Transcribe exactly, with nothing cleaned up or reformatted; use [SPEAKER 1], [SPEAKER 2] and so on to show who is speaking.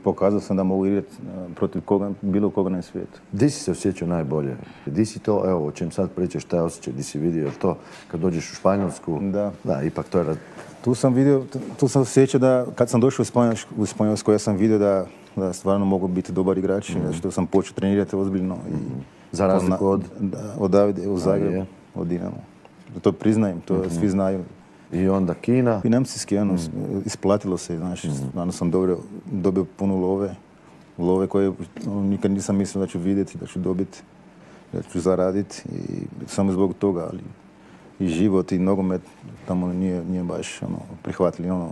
[SPEAKER 1] pokazao sam da mogu igrati protiv koga, bilo koga na svijetu.
[SPEAKER 2] Di si se osjećao najbolje? Di si to, evo, o čem sad pričaš, taj osjećaj, di si vidio to kad dođeš u Španjolsku?
[SPEAKER 1] Da.
[SPEAKER 2] Da, ipak to je...
[SPEAKER 1] Tu sam vidio, tu sam osjećao da kad sam došao u Španjolsku, u Španjolsku ja sam vidio da, da stvarno mogu biti dobar igrač, mm. što sam počeo trenirati ozbiljno. I
[SPEAKER 2] za razliku od?
[SPEAKER 1] Da, od Davide, u Zagrebu, od Dinamo. To priznajem, to mm-hmm. svi znaju.
[SPEAKER 2] I onda Kina?
[SPEAKER 1] Financijski, ono, mm. isplatilo se, znaš, mm. stvarno sam dobro, dobio puno love, love koje ono, nikad nisam mislio da ću vidjeti, da ću dobiti, da ću zaraditi i samo zbog toga, ali i život i nogomet tamo nije, nije baš ono, prihvatili, ono,